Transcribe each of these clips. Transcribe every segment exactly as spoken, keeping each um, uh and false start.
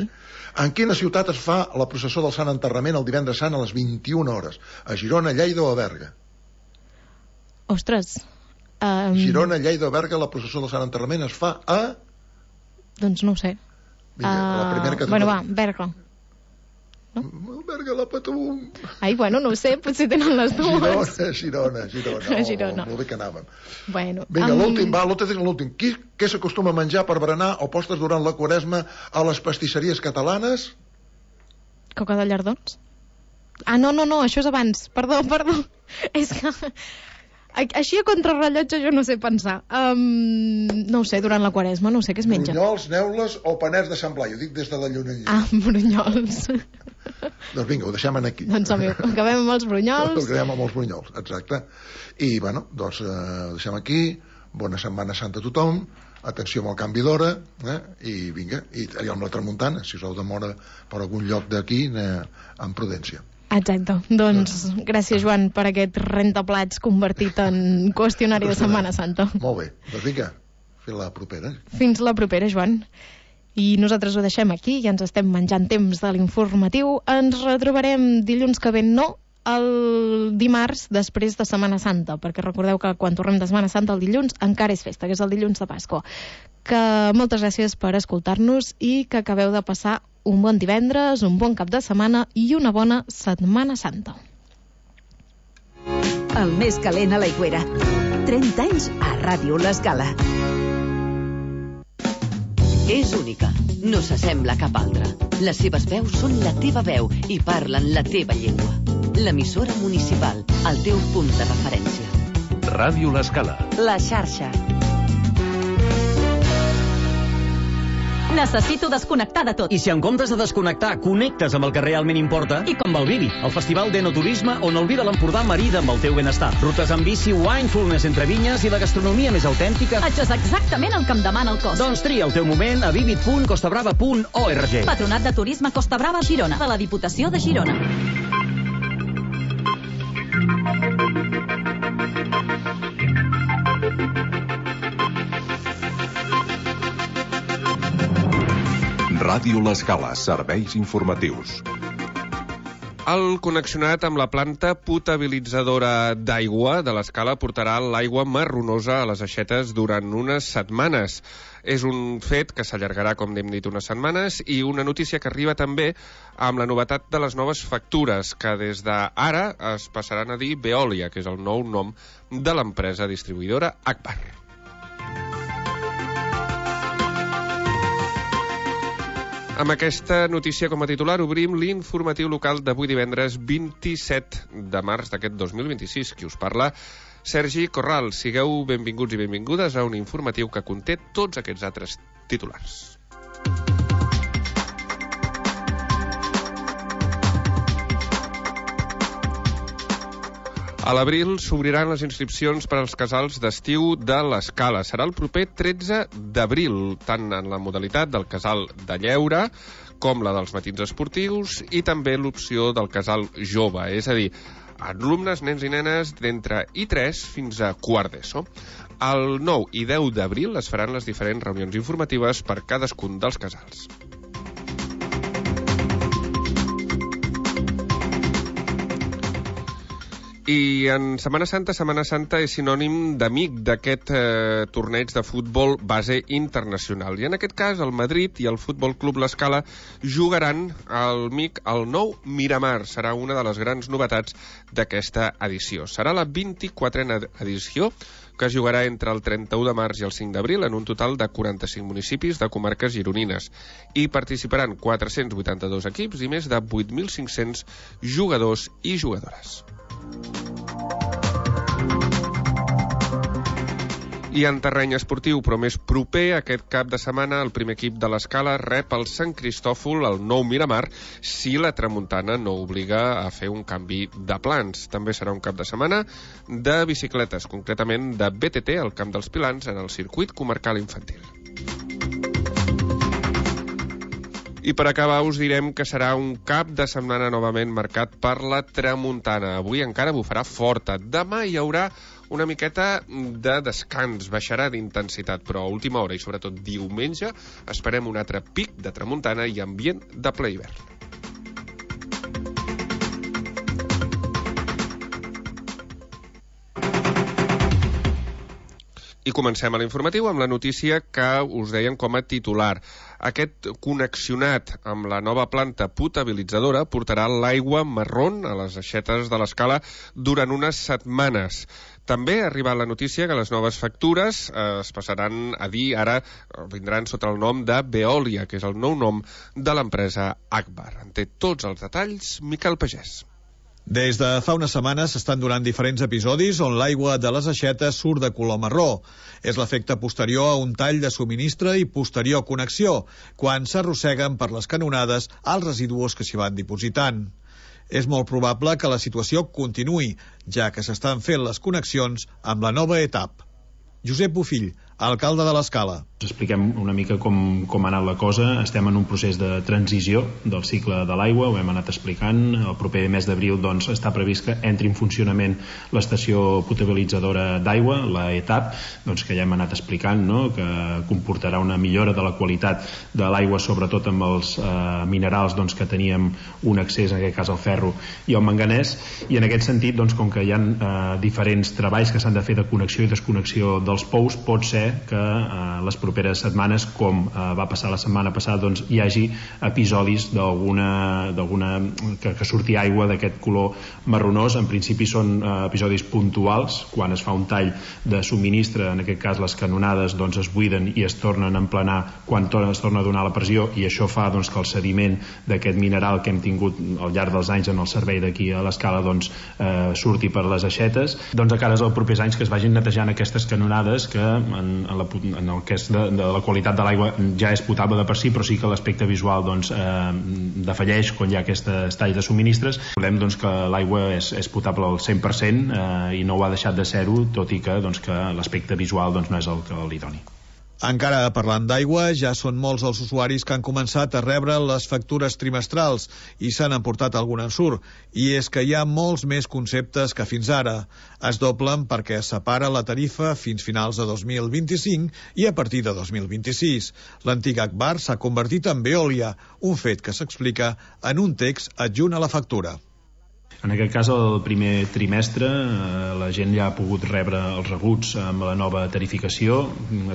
Molt bé. En quina ciutat es fa la processó del Sant Enterrament el divendres sant a les vint-i-una hores? A Girona, Lleida o a Berga? Ostres. Um... Girona, Lleida o Berga, la processó del Sant Enterrament es fa a... Doncs no ho sé. Vinga, uh... la primera que... Bueno, va, Berga. No? Berga la Patum. Ai, bueno, no ho sé, potser tenen les dues. Girona, Girona, Girona. Oh, Girona. Molt bé que anàvem. Bueno, vinga, amb... l'últim, va, l'últim. Qui, què s'acostuma a menjar per berenar o postres durant la Quaresma a les pastisseries catalanes? Coca de llardons? Ah, no, no, no, això és abans. Perdó, perdó. És que... Així a contrarrellotge jo no sé pensar. Um, no ho sé, durant la Quaresma, no ho sé què es menja. Brunyols, neules o panets de Sant Blai? Ho dic des de la llunella. Ah, brunyols. Doncs vinga, ho deixem aquí. Doncs acabem amb els brunyols. Acabem amb els brunyols, exacte. I, bueno, doncs eh, ho deixem aquí. Bona Setmana Santa a tothom. Atenció amb el canvi d'hora. Eh? I vinga, i allà amb la tramuntana. Si us heu de moure per algun lloc d'aquí, eh, amb prudència. Exacte. Doncs gràcies, Joan, per aquest rentaplats convertit en qüestionari de Setmana Santa. Molt bé. Doncs vinga, fins la propera. Fins la propera, Joan. I nosaltres ho deixem aquí, ja ens estem menjant temps de l'informatiu. Ens retrobarem dilluns que ve, no, el dimarts després de Setmana Santa, perquè recordeu que quan tornem de Setmana Santa el dilluns encara és festa, que és el dilluns de Pasqua. Que moltes gràcies per escoltar-nos i que acabeu de passar un bon divendres, un bon cap de setmana i una bona Setmana Santa. El més calent a l'Aigüera. trenta anys a Ràdio L'Escala. És única, no s'assembla a cap altra. Les seves veus són la teva veu i parlen la teva llengua. L'emissora municipal, el teu punt de referència. Ràdio L'Escala. La xarxa. Necessito desconnectar de tot. I si en comptes de desconnectar connectes amb el que realment importa? I com Valvivi, el festival d'enoturisme on el vi de l'Empordà marida amb el teu benestar. Rutes amb bici, winefulness entre vinyes i la gastronomia més autèntica. Això és exactament el que em demana el cos. Doncs tria el teu moment a vivid punt costabrava punt org. Patronat de Turisme Costa Brava Girona, de la Diputació de Girona. Ràdio L'Escala, serveis informatius. El connexionat amb la planta potabilitzadora d'aigua de l'Escala portarà l'aigua marronosa a les aixetes durant unes setmanes. És un fet que s'allargarà, com hem dit, unes setmanes, i una notícia que arriba també amb la novetat de les noves factures, que des d'ara es passaran a dir Veolia, que és el nou nom de l'empresa distribuïdora Agbar. Amb aquesta notícia com a titular obrim l'informatiu local d'avui divendres vint-i-set de març d'aquest dos mil vint-i-sis. Qui us parla? Sergi Corral. Sigueu benvinguts i benvingudes a un informatiu que conté tots aquests altres titulars. A l'abril s'obriran les inscripcions per als casals d'estiu de l'Escala. Serà el proper tretze d'abril, tant en la modalitat del casal de lleure com la dels matins esportius i també l'opció del casal jove, és a dir, alumnes, nens i nenes d'entre i tres fins a quart d'ESO. El nou i deu d'abril es faran les diferents reunions informatives per cadascun dels casals. I en Setmana Santa, Setmana Santa és sinònim d'amic d'aquest eh, torneig de futbol base internacional. I en aquest cas, el Madrid i el Futbol Club L'Escala jugaran al M I C al nou Miramar. Serà una de les grans novetats d'aquesta edició. Serà la vint-i-quatrena edició que es jugarà entre el trenta-u de març i el cinc d'abril en un total de quaranta-cinc municipis de comarques gironines. Hi participaran quatre-cents vuitanta-dos equips i més de vuit mil cinc-cents jugadors i jugadores. I en terreny esportiu, però més proper, aquest cap de setmana el primer equip de l'Escala rep el Sant Cristòfol al nou Miramar si la tramuntana no obliga a fer un canvi de plans. També serà un cap de setmana de bicicletes, concretament de B T T al Camp dels Pilans en el circuit comarcal infantil. I per acabar us direm que serà un cap de setmana novament marcat per la tramuntana. Avui encara bufarà forta. Demà hi haurà una miqueta de descans, baixarà d'intensitat, però a última hora i sobretot diumenge esperem un altre pic de tramuntana i ambient de ple hivern. I comencem a l'informatiu amb la notícia que us deien com a titular. Aquest connexionat amb la nova planta potabilitzadora portarà l'aigua marrón a les aixetes de l'Escala durant unes setmanes. També ha arribat la notícia que les noves factures eh, es passaran a dir ara, vindran sota el nom de Veolia, que és el nou nom de l'empresa Agbar. En té tots els detalls Miquel Pagès. Des de fa unes setmanes s'estan donant diferents episodis on l'aigua de les aixetes surt de color marró. És l'efecte posterior a un tall de subministre i posterior connexió, quan s'arrosseguen per les canonades els residus que s'hi van dipositant. És molt probable que la situació continuï, ja que s'estan fent les connexions amb la nova etapa. Josep Bofill, alcalde de l'Escala. Expliquem una mica com, com ha anat la cosa. Estem en un procés de transició del cicle de l'aigua, ho hem anat explicant. El proper mes d'abril doncs, està previst que entri en funcionament l'estació potabilitzadora d'aigua, la ETAP, doncs, que ja hem anat explicant, no? Que comportarà una millora de la qualitat de l'aigua, sobretot amb els eh, minerals doncs, que teníem un accés, en aquest cas al ferro i al manganès, i en aquest sentit, doncs, com que hi ha eh, diferents treballs que s'han de fer de connexió i desconnexió dels pous, pot ser que eh, les properes setmanes, com eh, va passar la setmana passada, doncs hi hagi episodis d'alguna, d'alguna que, que surti aigua d'aquest color marronós. En principi són eh, episodis puntuals, quan es fa un tall de subministre, en aquest cas les canonades doncs, es buiden i es tornen a emplenar quan torna, es torna a donar la pressió, i això fa doncs, que el sediment d'aquest mineral que hem tingut al llarg dels anys en el servei d'aquí a l'Escala doncs, eh, surti per les aixetes. Doncs a cares als propers anys que es vagin netejant aquestes canonades que en En, la, en el que és de, de la qualitat de l'aigua ja és potable de per si, però sí que l'aspecte visual doncs, eh, defalleix quan hi ha aquest tall de subministres. Volem doncs, que l'aigua és, és potable al cent per cent eh, i no ho ha deixat de ser-ho, tot i que, doncs, que l'aspecte visual doncs, no és el que li doni. Encara parlant d'aigua, ja són molts els usuaris que han començat a rebre les factures trimestrals i s'han emportat algun ensurt. I és que hi ha molts més conceptes que fins ara. Es doblen perquè es separa la tarifa fins finals de dos mil vint-i-cinc i a partir de dos mil vint-i-sis. L'antic Agbar s'ha convertit en Veolia, un fet que s'explica en un text adjunt a la factura. En aquest cas, el primer trimestre, eh, la gent ja ha pogut rebre els rebuts amb la nova tarificació.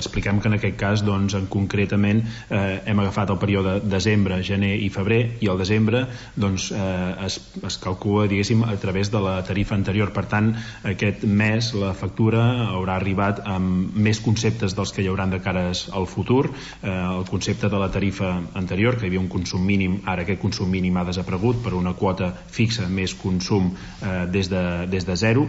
Expliquem que en aquest cas, doncs, en concretament, eh, hem agafat el període de desembre, gener i febrer, i el desembre doncs, eh, es, es calcula, diguéssim, a través de la tarifa anterior. Per tant, aquest mes la factura haurà arribat amb més conceptes dels que hi hauran de cares al futur. Eh, el concepte de la tarifa anterior, que hi havia un consum mínim, ara aquest consum mínim ha desaparegut per una quota fixa més consum consum eh, des, de, des de zero,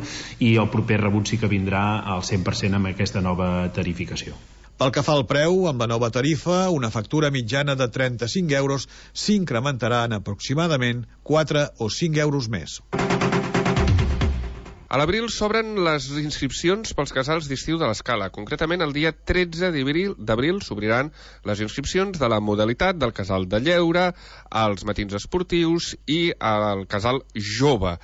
i el proper rebut sí que vindrà al cent per cent amb aquesta nova tarificació. Pel que fa al preu, amb la nova tarifa, una factura mitjana de trenta-cinc euros s'incrementarà en aproximadament quatre o cinc euros més. A l'abril s'obren les inscripcions pels casals d'estiu de l'Escala. Concretament, el dia tretze d'abril s'obriran les inscripcions de la modalitat del casal de lleure, als matins esportius i al casal jove.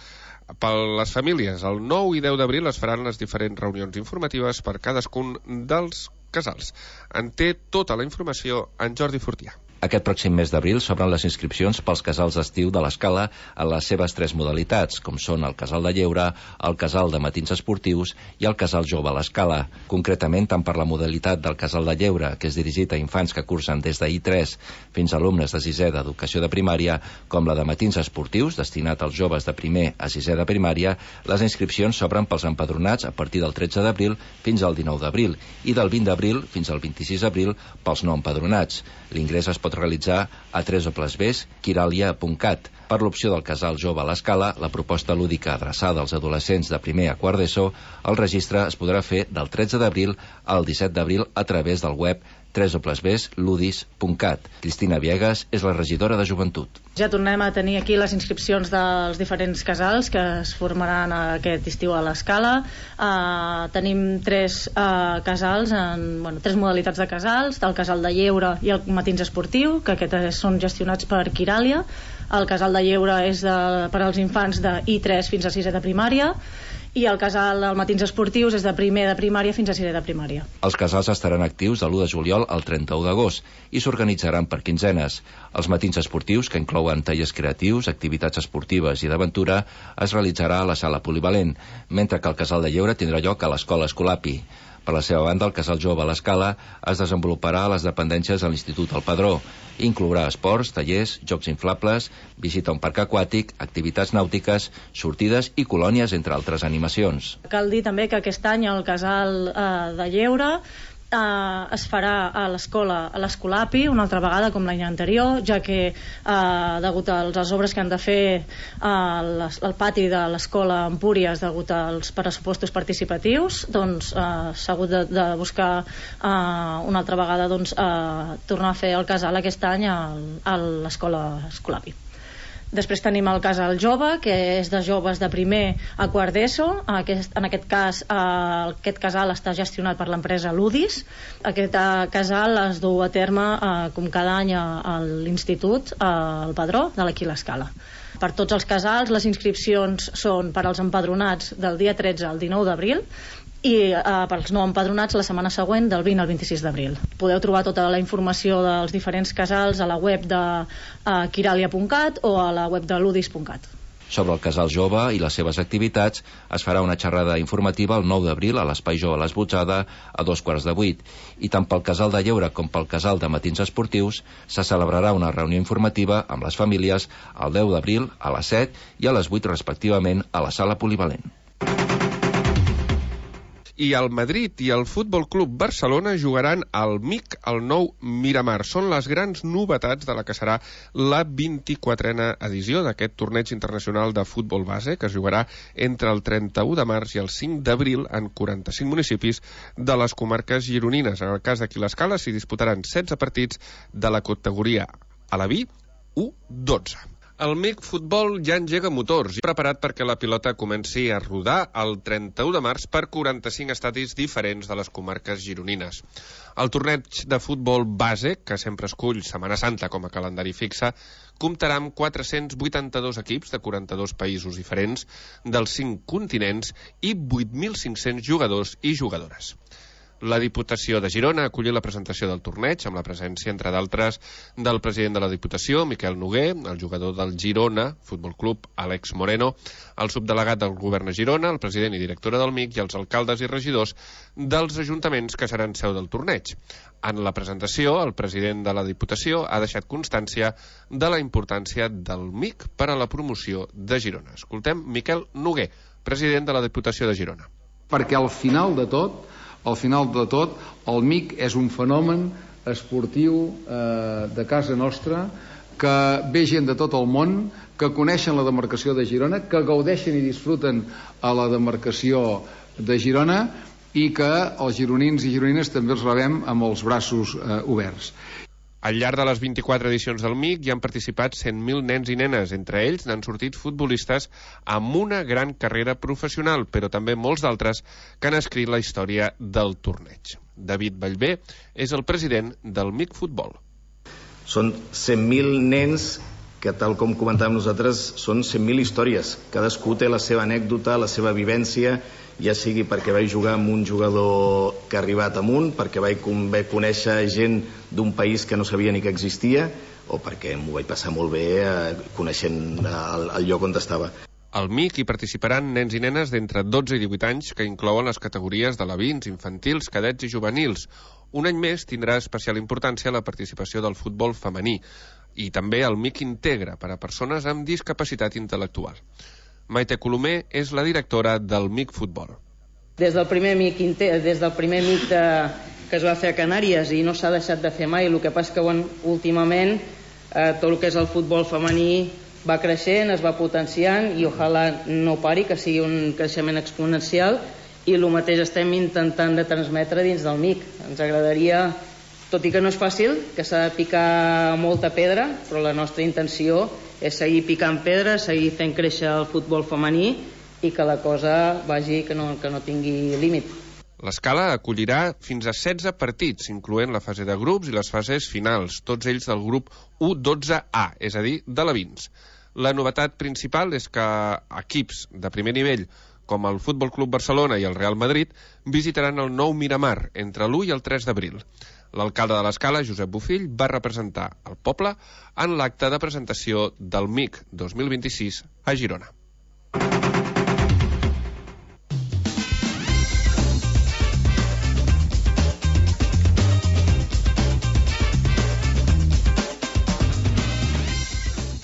Per les famílies, el nou i deu d'abril es faran les diferents reunions informatives per cadascun dels casals. En té tota la informació en Jordi Fortià. Aquest pròxim mes d'abril s'obren les inscripcions pels casals d'estiu de l'Escala en les seves tres modalitats, com són el casal de lleure, el casal de matins esportius i el casal jove a l'Escala. Concretament, tant per la modalitat del casal de lleure, que és dirigit a infants que cursen des de I tres fins a alumnes de sisè d'educació de primària, com la de matins esportius, destinat als joves de primer a sisè de primària, les inscripcions s'obren pels empadronats a partir del tretze d'abril fins al dinou d'abril i del vint d'abril fins al vint-i-sis d'abril pels no empadronats. L'ingrés es pot realitzar a w w w punt quiralia punt cat. Per l'opció del casal jove a l'Escala, la proposta lúdica adreçada als adolescents de primer a quart d'ESO, el registre es podrà fer del tretze d'abril al disset d'abril a través del web w w w punt ludis punt cat. Cristina Viegas és la regidora de Joventut. Ja tornem a tenir aquí les inscripcions dels diferents casals que es formaran aquest estiu a l'Escala. Uh, tenim tres uh, casals, en, bueno, tres modalitats de casals, el casal de lleure i el matins esportiu, que aquests són gestionats per Quiralia. El casal de lleure és de, per als infants de I tres fins a sisè de primària, i el casal dels matins esportius és de primer de primària fins a sisè de primària. Els casals estaran actius de l'u de juliol al trenta-u d'agost i s'organitzaran per quinzenes. Els matins esportius, que inclouen tallers creatius, activitats esportives i d'aventura, es realitzarà a la sala polivalent, mentre que el casal de lleure tindrà lloc a l'escola Escolapi. Per la seva banda, el Casal Jove a l'Escala es desenvoluparà a les dependències de l'Institut El Padró. Inclourà esports, tallers, jocs inflables, visita a un parc aquàtic, activitats nàutiques, sortides i colònies, entre altres animacions. Cal dir també que aquest any el Casal eh, de Lleure Uh, es farà a l'escola, a l'Escolapi, una altra vegada com l'any anterior, ja que uh, degut a les obres que han de fer uh, les, el pati de l'escola Empúries degut als pressupostos participatius, doncs uh, s'ha hagut de, de buscar uh, una altra vegada doncs, uh, tornar a fer el casal aquest any a, a l'escola Escolapi. Després tenim el casal jove, que és de joves de primer a quart d'ESO. Aquest, en aquest cas, eh, aquest casal està gestionat per l'empresa Ludis. Aquest eh, casal es du a terme, eh, com cada any, a l'institut, eh, al Padró, de l'Aquí l'Escala. Per tots els casals, les inscripcions són per als empadronats del dia tretze al dinou d'abril, i eh, per als no empadronats la setmana següent del vint al vint-i-sis d'abril. Podeu trobar tota la informació dels diferents casals a la web de eh, quiralia punt cat o a la web de ludis punt cat. Sobre el casal jove i les seves activitats es farà una xerrada informativa el nou d'abril a l'Espai Jove l'Esbotzada a dos quarts de vuit, i tant pel casal de lleure com pel casal de matins esportius se celebrarà una reunió informativa amb les famílies el deu d'abril a les set i a les vuit respectivament a la sala polivalent. I el Madrid i el Futbol Club Barcelona jugaran al M I C al nou Miramar. Són les grans novetats de la que serà la vint-i-quatrena edició d'aquest torneig internacional de futbol base, que es jugarà entre el trenta-u de març i el cinc d'abril en quaranta-cinc municipis de les comarques gironines. En el cas d'Aquí l'Escala s'hi disputaran setze partits de la categoria a la B u dotze. El M I C Futbol ja engega motors, preparat perquè la pilota comenci a rodar el trenta-u de març per quaranta-cinc estadis diferents de les comarques gironines. El torneig de futbol base, que sempre escull Setmana Santa com a calendari fixe, comptarà amb quatre-cents vuitanta-dos equips de quaranta-dos països diferents dels cinc continents i vuit mil cinc-cents jugadors i jugadores. La Diputació de Girona ha acollit la presentació del torneig amb la presència, entre d'altres, del president de la Diputació, Miquel Noguer, el jugador del Girona Futbol Club, Àlex Moreno, el subdelegat del govern a Girona, el president i directora del M I C i els alcaldes i regidors dels ajuntaments que seran seu del torneig. En la presentació, el president de la Diputació ha deixat constància de la importància del M I C per a la promoció de Girona. Escoltem Miquel Noguer, president de la Diputació de Girona. Perquè al final de tot, al final de tot, el M I C és un fenomen esportiu eh, de casa nostra, que ve gent de tot el món, que coneixen la demarcació de Girona, que gaudeixen i disfruten a la demarcació de Girona i que els gironins i gironines també els rebem amb els braços eh, oberts. Al llarg de les vint-i-quatre edicions del M I C hi han participat cent mil nens i nenes. Entre ells n'han sortit futbolistes amb una gran carrera professional, però també molts d'altres que han escrit la història del torneig. David Vallvé és el president del M I C Futbol. Són cent mil nens que, tal com comentàvem nosaltres, són cent mil històries. Cadascú té la seva anècdota, la seva vivència, ja sigui perquè vaig jugar amb un jugador que ha arribat amunt, perquè vaig conèixer gent d'un país que no sabia ni que existia, o perquè m'ho vaig passar molt bé eh, coneixent el, el lloc on estava. Al M I C hi participaran nens i nenes d'entre dotze i divuit anys, que inclouen les categories d'alevins, infantils, cadets i juvenils. Un any més tindrà especial importància la participació del futbol femení, i també el M I C integra per a persones amb discapacitat intel·lectual. Maite Colomer és la directora del M I C Futbol. Des del primer M I C, des del primer M I C de, que es va fer a Canàries, i no s'ha deixat de fer mai, el que passa que bueno, últimament eh, tot el que és el futbol femení va creixent, es va potenciant, i ojalà no pari, que sigui un creixement exponencial, i el mateix estem intentant de transmetre dins del M I C. Ens agradaria, tot i que no és fàcil, que s'ha de picar molta pedra, però la nostra intenció és seguir picant pedra, seguir fent créixer el futbol femení i que la cosa vagi, que no, que no tingui límit. L'Escala acollirà fins a setze partits, incloent la fase de grups i les fases finals, tots ells del grup u dotze A, és a dir, d'alevins. La novetat principal és que equips de primer nivell com el Futbol Club Barcelona i el Real Madrid, visitaran el nou Miramar entre l'u i el tres d'abril. L'alcalde de l'Escala, Josep Bofill, va representar el poble en l'acte de presentació del M I C dos mil vint-i-sis a Girona.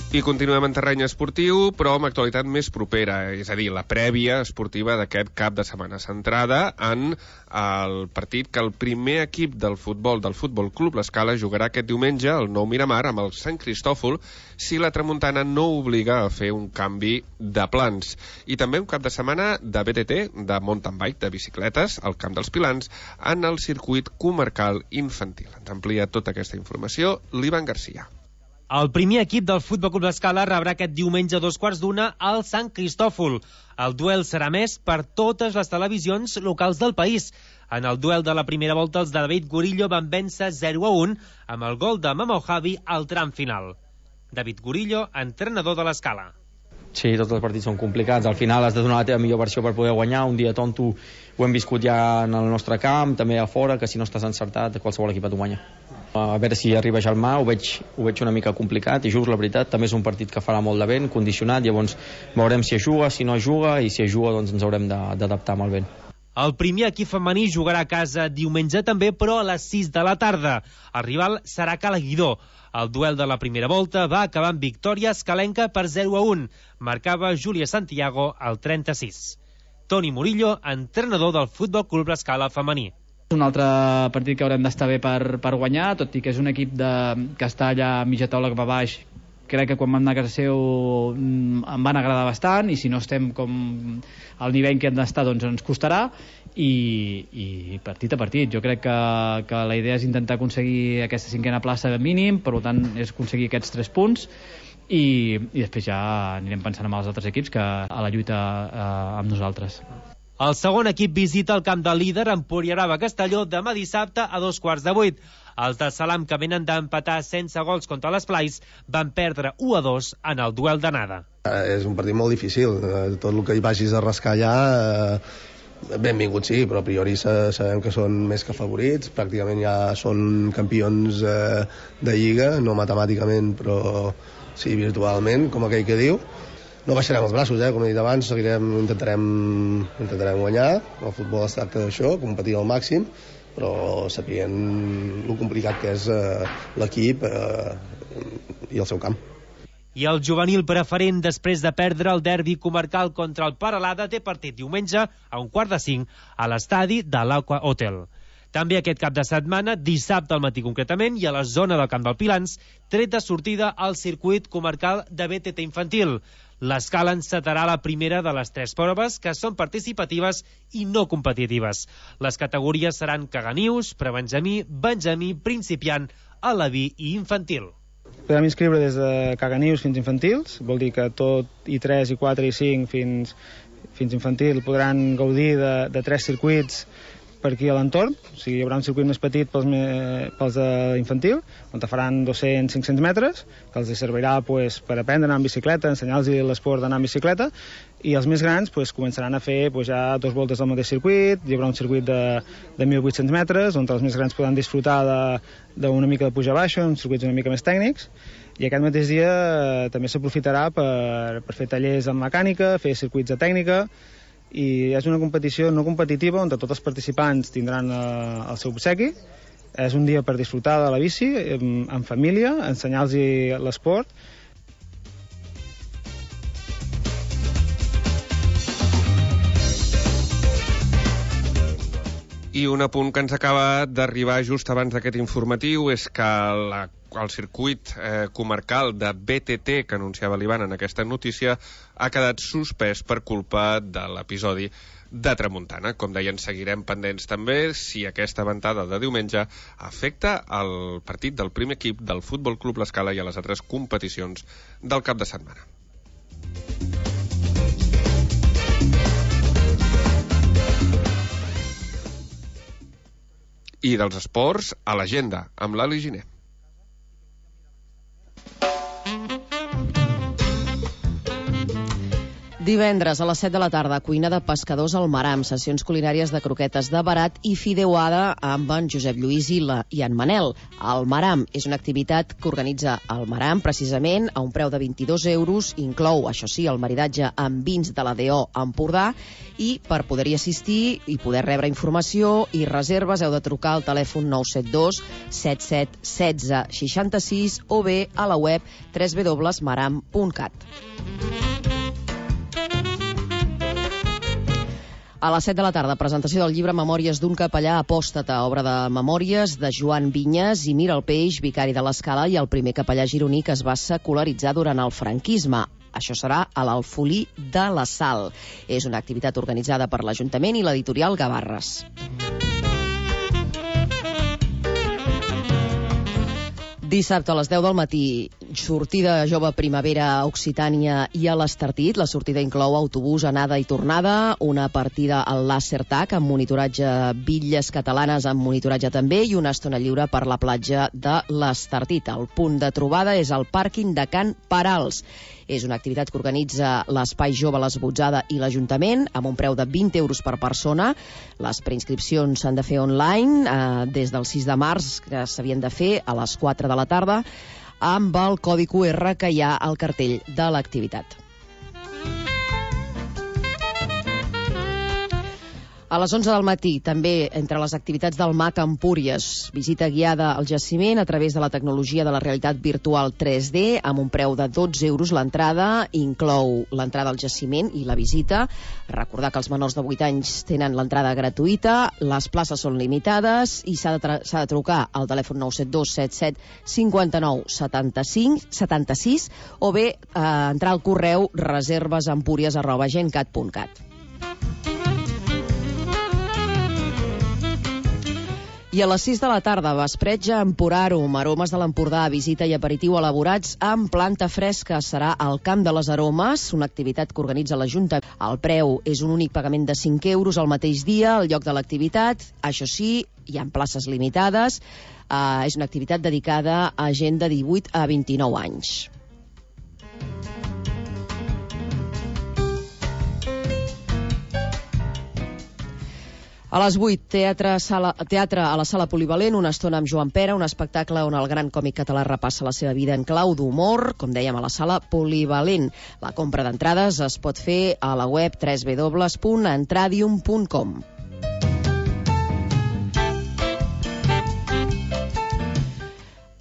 I continuem en terreny esportiu, però amb actualitat més propera, és a dir, la prèvia esportiva d'aquest cap de setmana, centrada en el partit que el primer equip del futbol del Futbol Club L'Escala jugarà aquest diumenge al nou Miramar amb el Sant Cristòfol si la tramuntana no obliga a fer un canvi de plans. I també un cap de setmana de B T T, de mountain bike, de bicicletes, al Camp dels Pilans, en el circuit comarcal infantil. Ens amplia tota aquesta informació l'Ivan Garcia. El primer equip del Futbol Club L'Escala rebrà aquest diumenge a dos quarts d'una al Sant Cristòfol. El duel serà més per totes les televisions locals del país. En el duel de la primera volta, els de David Gorillo van vèncer zero a un amb el gol de Mamo Javi al tram final. David Gorillo, entrenador de l'Escala. Sí, tots els partits són complicats. Al final has de donar la teva millor versió per poder guanyar. Un dia tonto ho hem viscut ja en el nostre camp, també a fora, que si no estàs encertat, qualsevol equip et guanya. A veure si arriba Jalmà, ho veig, ho veig una mica complicat i just, la veritat, també és un partit que farà molt de vent, condicionat, llavors veurem si es juga, si no es juga, i si es juga doncs ens haurem d'adaptar amb el vent. El primer equip femení jugarà a casa diumenge també, però a les sis de la tarda. El rival serà Cala Guidó. El duel de la primera volta va acabar amb victòria escalenca per zero a un. Marcava Júlia Santiago al trenta-sis. Toni Murillo, entrenador del Futbol Club L'Escala femení. És un altre partit que haurem d'estar bé per, per guanyar, tot i que és un equip de, que està allà a mitja taula cap a baix. Crec que quan vam anar a casa seu em van agradar bastant, i si no estem com al nivell que hem d'estar doncs ens costarà, i, i partit a partit. Jo crec que, que la idea és intentar aconseguir aquesta cinquena plaça de mínim, per tant és aconseguir aquests tres punts, i, i després ja anirem pensant en els altres equips que a la lluita eh, amb nosaltres. El segon equip visita el camp del líder Empuriarava Castelló demà dissabte a dos quarts de vuit. Els de Salam, que venen d'empatar sense gols contra les Plais, van perdre u a dos en el duel d'anada. Eh, és un partit molt difícil. Eh, tot el que hi vagis a rascar allà, eh, benvingut sí, però a priori sabem que són més que favorits. Pràcticament ja són campions eh, de Lliga, no matemàticament, però sí virtualment, com aquell que diu. No baixarem els braços, eh? Com he dit abans, seguirem, intentarem, intentarem guanyar. El futbol es tracta d'això, competir al màxim, però sapient el complicat que és eh, l'equip eh, i el seu camp. I el juvenil preferent, després de perdre el derbi comarcal contra el Peralada, té partit diumenge a un quart de cinc a l'estadi de l'Aqua Hotel. També aquest cap de setmana, dissabte al matí concretament, i a la zona del Camp del Pilans, tret de sortida al circuit comarcal de B T T infantil. L'Escala encetarà la primera de les tres proves, que són participatives i no competitives. Les categories seran caganius, prebenjamí, benjamí, principiant, alaví i infantil. Podem inscriure des de caganius fins infantils, vol dir que tot i tres, i quatre, i cinc fins, fins infantil podran gaudir de, de tres circuits per aquí a l'entorn. O sigui, hi haurà un circuit més petit pels, me, pels d'infantil, on faran dos-cents a cinc-cents metres, que els servirà pues, per aprendre a anar en bicicleta, ensenyar-los l'esport d'anar en bicicleta, i els més grans pues, començaran a fer pues, ja dos voltes del mateix circuit. Hi haurà un circuit de, de mil vuit-cents metres, on els més grans podran disfrutar d'una mica de puja-baixa, uns circuits una mica més tècnics, i aquest mateix dia eh, també s'aprofitarà per, per fer tallers en mecànica, fer circuits de tècnica, i és una competició no competitiva on tots els participants tindran eh, el seu obsequi. És un dia per disfrutar de la bici en, en família, ensenyar-los l'esport. I un apunt que ens acaba d'arribar just abans d'aquest informatiu és que la, el circuit eh, comarcal de B T T que anunciava l'Ivan en aquesta notícia ha quedat suspès per culpa de l'episodi de tramuntana. Com deien, seguirem pendents també si aquesta ventada de diumenge afecta el partit del primer equip del Futbol Club L'Escala i a les altres competicions del cap de setmana. I dels esports, a l'agenda, amb l'Ali Giner. Divendres a les set de la tarda, cuina de pescadors al Maram, sessions culinàries de croquetes de barat i fideuada amb en Josep Lluís i, la, i en Manel. El Maram és una activitat que organitza el Maram, precisament, a un preu de vint-i-dos euros, inclou, això sí, el maridatge amb vins de la D O Empordà, i per poder-hi assistir i poder rebre informació i reserves heu de trucar al telèfon nou set dos set set un sis sis sis o bé a la web w w w punt maram punt cat. A les set de la tarda, presentació del llibre Memòries d'un capellà apòstata, obra de memòries de Joan Vinyes i Mira el Peix, vicari de l'Escala i el primer capellà gironí que es va secularitzar durant el franquisme. Això serà a l'Alfolí de la Sal. És una activitat organitzada per l'Ajuntament i l'editorial Gavarres. Dissabte a les deu del matí, sortida jove primavera a Occitània i a l'Estartit. La sortida inclou autobús, anada i tornada, una partida al Laser Tag amb monitoratge, bitlles catalanes amb monitoratge també, i una estona lliure per la platja de l'Estartit. El punt de trobada és el pàrquing de Can Parals. És una activitat que organitza l'Espai Jove l'Esbotzada i l'Ajuntament, amb un preu de vint euros per persona. Les preinscripcions s'han de fer online eh, des del sis de març, que s'havien de fer a les quatre de la tarda, amb el codi Q R que hi ha al cartell de l'activitat. A les onze del matí, també, entre les activitats del M A C Empúries, visita guiada al jaciment a través de la tecnologia de la realitat virtual tres D, amb un preu de dotze euros l'entrada, inclou l'entrada al jaciment i la visita. Recordar que els menors de vuit anys tenen l'entrada gratuïta, les places són limitades i s'ha de, s'ha de trucar al telèfon nou set dos set set cinc nou set sis o bé eh, entrar al correu reservesempúries arroba gencat punt cat. I a les sis de la tarda, vespretge a Emporàrum, aromes de l'Empordà, visita i aperitiu elaborats amb planta fresca. Serà al Camp de les Aromes, una activitat que organitza l'Ajuntament. El preu és un únic pagament de cinc euros al mateix dia, al lloc de l'activitat. Això sí, hi ha places limitades. Uh, és una activitat dedicada a gent de divuit a vint-i-nou anys. A les vuit, teatre, sala, teatre a la Sala Polivalent, una estona amb Joan Pera, un espectacle on el gran còmic català repassa la seva vida en clau d'humor, com dèiem, a la Sala Polivalent. La compra d'entrades es pot fer a la web w w w punt entradium punt com.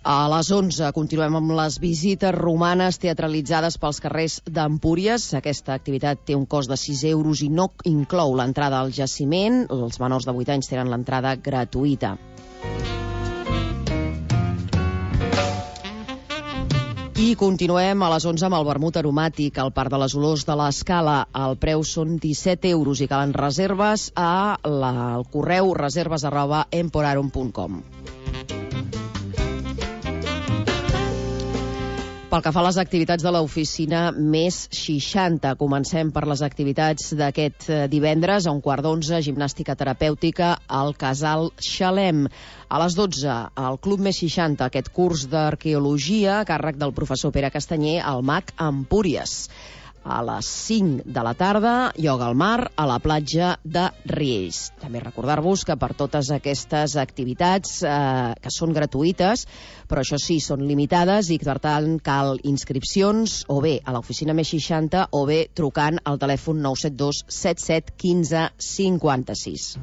A les onze continuem amb les visites romanes teatralitzades pels carrers d'Empúries. Aquesta activitat té un cost de sis euros i no inclou l'entrada al jaciment. Els menors de vuit anys tenen l'entrada gratuïta. I continuem a les onze amb el vermut aromàtic al Parc de les Olors de l'Escala. El preu són disset euros i calen reserves a la, al correu reserves arroba emporarum punt com. Pel que fa a les activitats de l'oficina Més seixanta, comencem per les activitats d'aquest divendres. A un quart d'onze, gimnàstica terapèutica al Casal Xalem. A les dotze, al Club Més seixanta, aquest curs d'arqueologia a càrrec del professor Pere Castanyer al M A C Empúries. A les cinc de la tarda, ioga al mar a la platja de Riells. També recordar-vos que per totes aquestes activitats, eh, que són gratuïtes, però això sí, són limitades i per tant cal inscripcions o bé a l'oficina Més seixanta o bé trucant al telèfon nou set dos set set un cinc cinc sis.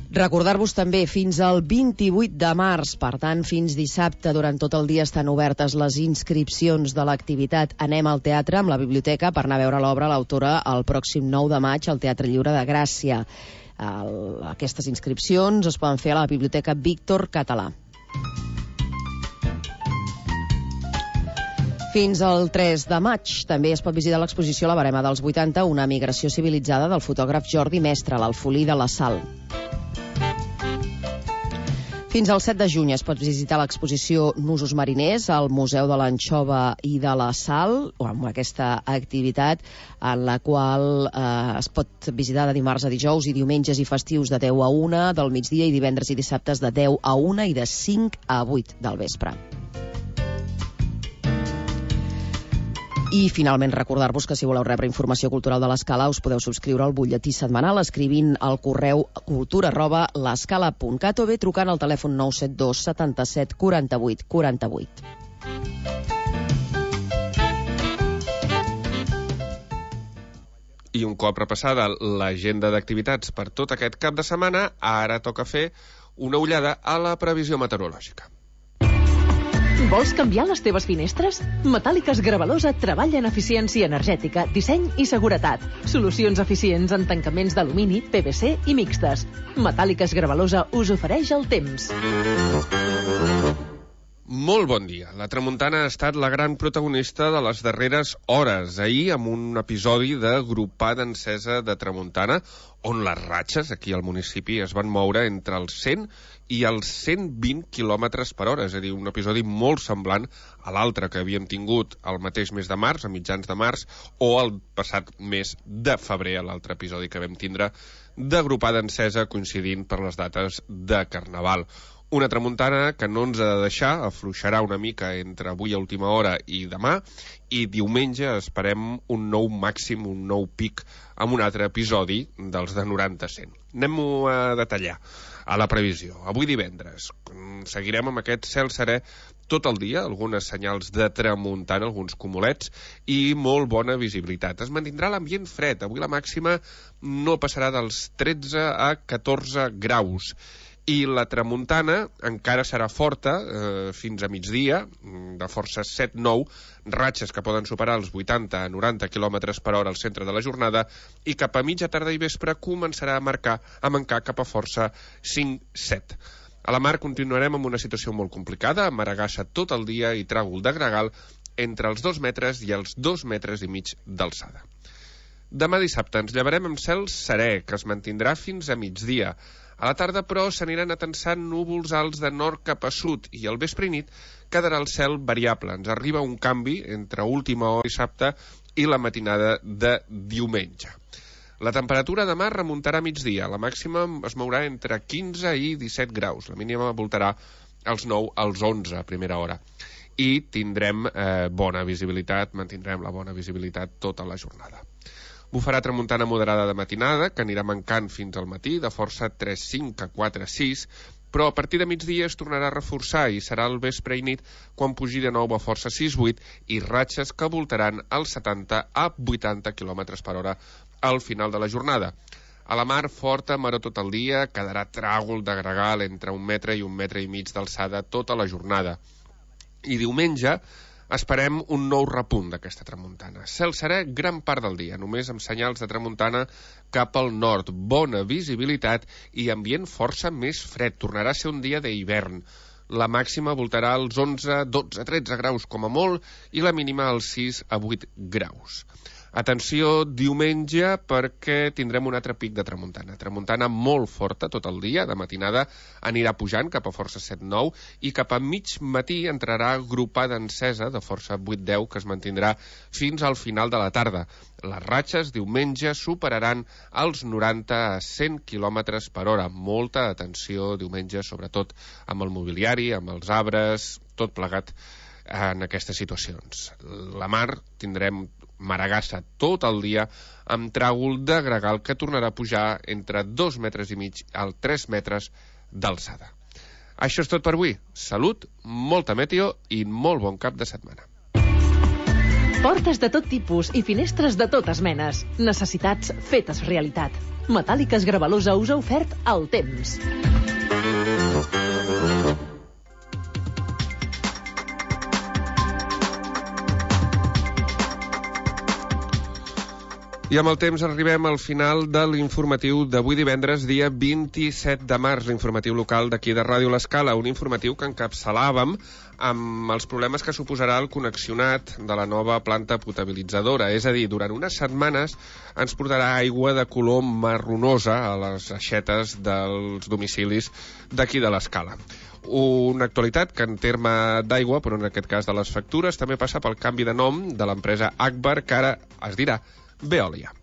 Recordar-vos també fins al vint-i-vuit de març, per tant, fins dissabte, durant tot el dia estan obertes les inscripcions de l'activitat Anem al teatre amb la biblioteca per anar a veure l'obra l'autora el pròxim nou de maig al Teatre Lliure de Gràcia. El, aquestes inscripcions es poden fer a la Biblioteca Víctor Català. Fins al tres de maig també es pot visitar l'exposició La barema dels vuitanta, una migració civilitzada del fotògraf Jordi Mestre a l'Alfolí de la Sal. Fins al set de juny es pot visitar l'exposició Nusos mariners al Museu de l'Anxova i de la Sal, o amb aquesta activitat en la qual eh, es pot visitar de dimarts a dijous i diumenges i festius de deu a una del migdia i divendres i dissabtes de deu a una i de cinc a vuit del vespre. I finalment recordar-vos que si voleu rebre informació cultural de l'Escala us podeu subscriure al butlletí setmanal escrivint al correu cultura arroba l'escala punt cat o bé trucant al telèfon nou set dos setanta-set quaranta-vuit quaranta-vuit. I un cop repassada l'agenda d'activitats per tot aquest cap de setmana, ara toca fer una ullada a la previsió meteorològica. Vols canviar les teves finestres? Metàl·liques Gravalosa treballa en eficiència energètica, disseny i seguretat. Solucions eficients en tancaments d'alumini, P V C i mixtes. Metàl·liques Gravalosa us ofereix el temps. Molt bon dia. La tramuntana ha estat la gran protagonista de les darreres hores. Ahir, amb un episodi de Gropada Encesa de Tramuntana, on les ratxes aquí al municipi es van moure entre els cent i els cent vint quilòmetres per hora. És a dir, un episodi molt semblant a l'altre que havíem tingut el mateix mes de març, a mitjans de març, o el passat mes de febrer, l'altre episodi que vam tindre de Gropada Encesa coincidint per les dates de Carnaval. Una tramuntana que no ens ha de deixar, afluixarà una mica entre avui a última hora i demà, i diumenge esperem un nou màxim, un nou pic, amb un altre episodi dels de noranta a cent. Anem-ho a detallar a la previsió. Avui divendres seguirem amb aquest cel serè tot el dia, algunes senyals de tramuntana, alguns cumulets, i molt bona visibilitat. Es mantindrà l'ambient fred. Avui la màxima no passarà dels tretze a catorze graus. I la tramuntana encara serà forta eh, fins a migdia, de força set nou, ratxes que poden superar els vuitanta a noranta quilòmetres per hora al centre de la jornada, i cap a mitja tarda i vespre començarà a marcar a mancar cap a força cinc set. A la mar continuarem amb una situació molt complicada, amb maragassa tot el dia i tràgol de gregal entre els dos metres i els dos metres i mig d'alçada. Demà dissabte ens llevarem amb cel serè, que es mantindrà fins a migdia. A la tarda, però, s'aniran atensant núvols alts de nord cap a sud i al vespre i nit quedarà el cel variable. Ens arriba un canvi entre última hora dissabte i la matinada de diumenge. La temperatura demà remuntarà a migdia. La màxima es mourà entre quinze i disset graus. La mínima voltarà als nou als onze a primera hora. I tindrem eh, bona visibilitat, mantindrem la bona visibilitat tota la jornada. Bufarà tramuntana moderada de matinada, que anirà mancant fins al matí, de força tres cinc a quatre sis, però a partir de migdia es tornarà a reforçar i serà el vespre i nit quan pugi de nou a força sis vuit i ratxes que voltaran als setanta a vuitanta quilòmetres per hora al final de la jornada. A la mar, forta, maró tot el dia, quedarà tràgol de gregal entre un metre i un metre i mig d'alçada tota la jornada. I diumenge esperem un nou repunt d'aquesta tramuntana. Cel serè gran part del dia, només amb senyals de tramuntana cap al nord. Bona visibilitat i ambient força més fred. Tornarà a ser un dia d'hivern. La màxima voltarà als onze, dotze, tretze graus com a molt i la mínima als sis a vuit graus. Atenció diumenge perquè tindrem un altre pic de tramuntana. Tramuntana molt forta tot el dia, de matinada anirà pujant cap a força set nou i cap a mig matí entrarà Gropada Encesa de força vuit deu que es mantindrà fins al final de la tarda. Les ratxes diumenge superaran els noranta a cent quilòmetres per hora. Molta atenció diumenge, sobretot amb el mobiliari, amb els arbres, tot plegat en aquestes situacions. La mar tindrem maragassa tot el dia amb tràgol de gregal que tornarà a pujar entre dos metres i mig al tres metres d'alçada. Això és tot per avui. Salut, molta meteo i molt bon cap de setmana. Portes de tot tipus i finestres de totes menes. Necessitats fetes realitat. Metàl·liques Gravalosa us ha ofert el temps. I amb el temps arribem al final de l'informatiu d'avui divendres, dia vint-i-set de març, l'informatiu local d'aquí de Ràdio L'Escala, un informatiu que encapçalàvem amb els problemes que suposarà el connexionat de la nova planta potabilitzadora. És a dir, durant unes setmanes ens portarà aigua de color marronosa a les aixetes dels domicilis d'aquí de l'Escala. Una actualitat que en terme d'aigua, però en aquest cas de les factures, també passa pel canvi de nom de l'empresa Agbar, que ara es dirà Veolia.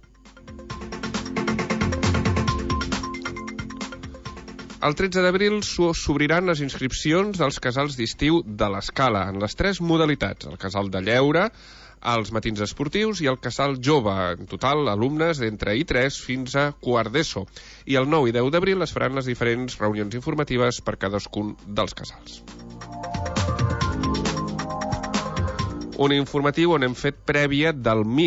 El tretze d'abril s'obriran les inscripcions dels casals d'estiu de l'Escala en les tres modalitats, el casal de lleure, als matins esportius i al casal jove. En total, alumnes d'entre i tres fins a quart d'ESO. I el nou i deu d'abril es faran les diferents reunions informatives per cadascun dels casals. Un informatiu on hem fet prèvia del M I C,